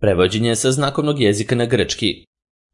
Prevođenje sa znakovnog jezika na grčki.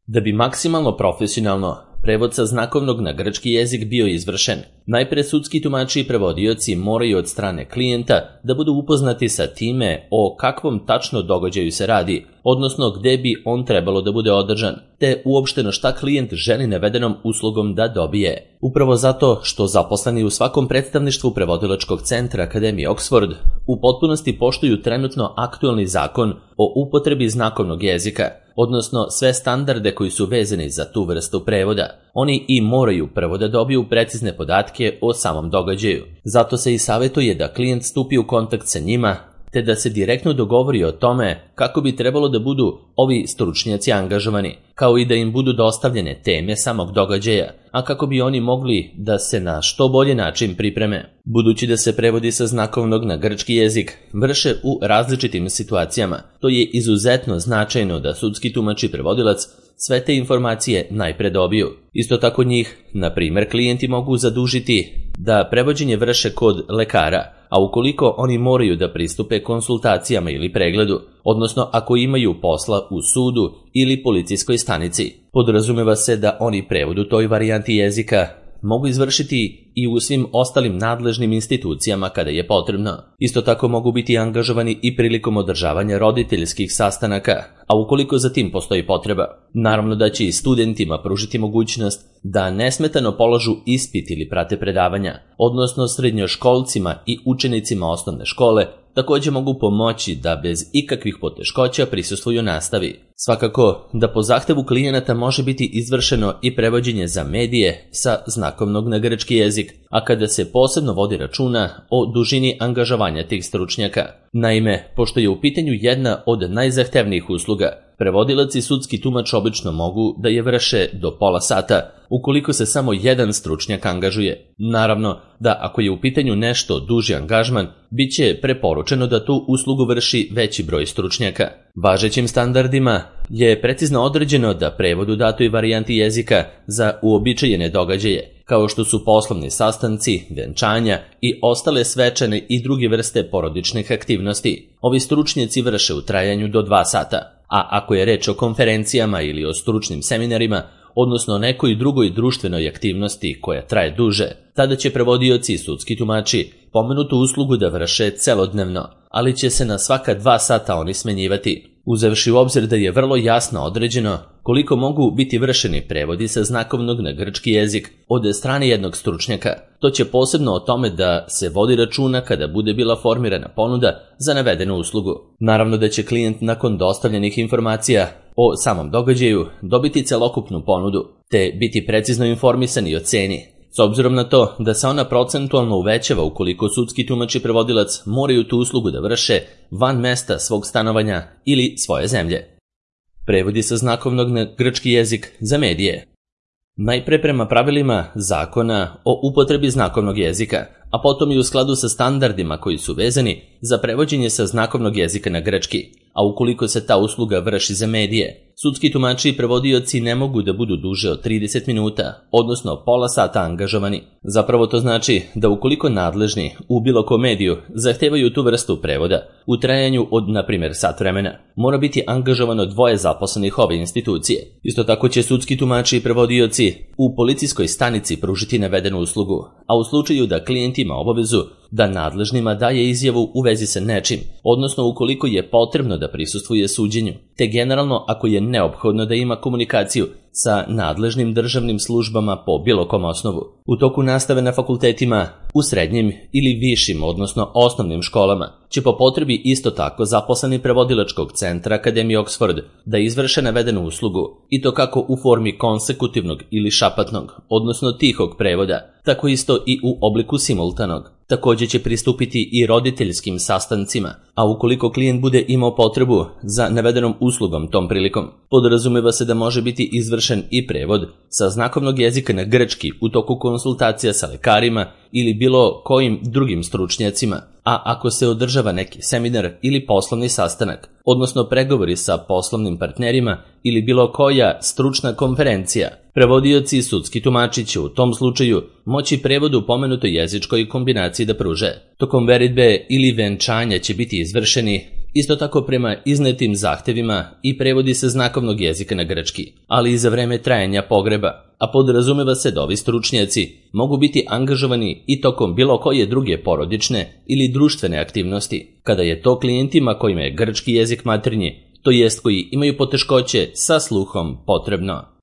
Da bi maksimalno profesionalno prevod sa znakovnog na grčki jezik bio izvršen, najpre sudski tumači i prevodioci moraju od strane klijenta da budu upoznati sa time o kakvom tačno događaju se radi, odnosno gde bi on trebalo da bude održan, te uopšteno šta klijent želi navedenom uslugom da dobije. Upravo zato što zaposleni u svakom predstavništvu prevodilačkog centra Akademije Oxford u potpunosti poštuju trenutno aktualni zakon o upotrebi znakovnog jezika, odnosno sve standarde koji su vezani za tu vrstu prevoda. Oni i moraju prvo da dobiju precizne podatke o samom događaju. Zato se i savjetuje da klijent stupi u kontakt sa njima, te da se direktno dogovori o tome kako bi trebalo da budu ovi stručnjaci angažovani, kao i da im budu dostavljene teme samog događaja, a kako bi oni mogli da se na što bolji način pripreme. Budući da se prevodi sa znakovnog na grčki jezik vrše u različitim situacijama, to je izuzetno značajno da sudski tumač i prevodilac sve te informacije najpre dobiju. Isto tako njih, na primjer, klijenti mogu zadužiti da prevođenje vrše kod lekara, a ukoliko oni moraju da pristupe konsultacijama ili pregledu, odnosno ako imaju posla u sudu ili policijskoj stanici, podrazumeva se da oni prevod u toj varijanti jezika mogu izvršiti i u svim ostalim nadležnim institucijama kada je potrebno. Isto tako mogu biti angažovani i prilikom održavanja roditeljskih sastanaka, a ukoliko za tim postoji potreba. Naravno da će i studentima pružiti mogućnost da nesmetano polažu ispit ili prate predavanja, odnosno srednjoškolcima i učenicima osnovne škole također mogu pomoći da bez ikakvih poteškoća prisustvuju nastavi. Svakako da po zahtevu klijenata može biti izvršeno i prevođenje za medije sa znakovnog na grčki jezik, a kada se posebno vodi računa o dužini angažovanja tih stručnjaka. Naime, pošto je u pitanju jedna od najzahtevnijih usluga, prevodilac i sudski tumač obično mogu da je vrše do pola sata, ukoliko se samo jedan stručnjak angažuje. Naravno da ako je u pitanju nešto duži angažman, bit će preporučeno da tu uslugu vrši veći broj stručnjaka. Važećim standardima je precizno određeno da prevod u datoj varijanti jezika za uobičajene događaje, kao što su poslovni sastanci, venčanja i ostale svečane i druge vrste porodičnih aktivnosti, ovi stručnjaci vrše u trajanju do 2 sata. A ako je reč o konferencijama ili o stručnim seminarima, odnosno nekoj drugoj društvenoj aktivnosti koja traje duže, tada će prevodioci i sudski tumači pomenutu uslugu da vrše celodnevno, ali će se na svaka 2 sata oni smenjivati, uzevši u obzir da je vrlo jasno određeno koliko mogu biti vršeni prevodi sa znakovnog na grčki jezik od strane jednog stručnjaka. To će posebno o tome da se vodi računa kada bude bila formirana ponuda za navedenu uslugu. Naravno da će klijent nakon dostavljenih informacija o samom događaju dobiti celokupnu ponudu, te biti precizno informisan i o ceni, s obzirom na to da se ona procentualno uvećava ukoliko sudski tumač i prevodilac moraju tu uslugu da vrše van mesta svog stanovanja ili svoje zemlje. Prevodi sa znakovnog na grčki jezik za medije. Najpre prema pravilima zakona o upotrebi znakovnog jezika, a potom i u skladu sa standardima koji su vezani za prevođenje sa znakovnog jezika na grčki, a ukoliko se ta usluga vrši za medije, sudski tumači i prevodioci ne mogu da budu duže od 30 minuta, odnosno pola sata angažovani. Zapravo to znači da ukoliko nadležni u bilo kom mediju zahtevaju tu vrstu prevoda u trajanju od, na primjer, sat vremena, mora biti angažovano 2 zaposlenih ove institucije. Isto tako će sudski tumači i prevodioci u policijskoj stanici pružiti navedenu uslugu, a u slučaju da klijent ima obavezu da nadležnima daje izjavu u vezi sa nečim, odnosno ukoliko je potrebno da prisustvuje suđenju, te generalno ako je neophodno da ima komunikaciju sa nadležnim državnim službama po bilo kom osnovu. U toku nastave na fakultetima, u srednjim ili višim, odnosno osnovnim školama, će po potrebi isto tako zaposleni prevodilačkog centra Akademije Oxford da izvrše navedenu uslugu, i to kako u formi konsekutivnog ili šapatnog, odnosno tihog prevoda, tako isto i u obliku simultanog. Također će pristupiti i roditeljskim sastancima, a ukoliko klijent bude imao potrebu za navedenom uslugom tom prilikom, podrazumeva se da može biti izvršen i prevod sa znakovnog jezika na grčki u toku konsultacija sa lekarima ili bilo kojim drugim stručnjacima, a ako se održava neki seminar ili poslovni sastanak, odnosno pregovori sa poslovnim partnerima ili bilo koja stručna konferencija, prevodioci i sudski tumači će u tom slučaju moći prevod u pomenutoj jezičkoj kombinaciji da pruže. Tokom veritbe ili venčanja će biti izvršeni isto tako prema iznetim zahtevima i prevodi se znakovnog jezika na grčki, ali i za vreme trajanja pogreba, a podrazumeva se da ovi stručnjaci mogu biti angažovani i tokom bilo koje druge porodične ili društvene aktivnosti, kada je to klijentima kojima je grčki jezik maternji, to jest koji imaju poteškoće sa sluhom, potrebno.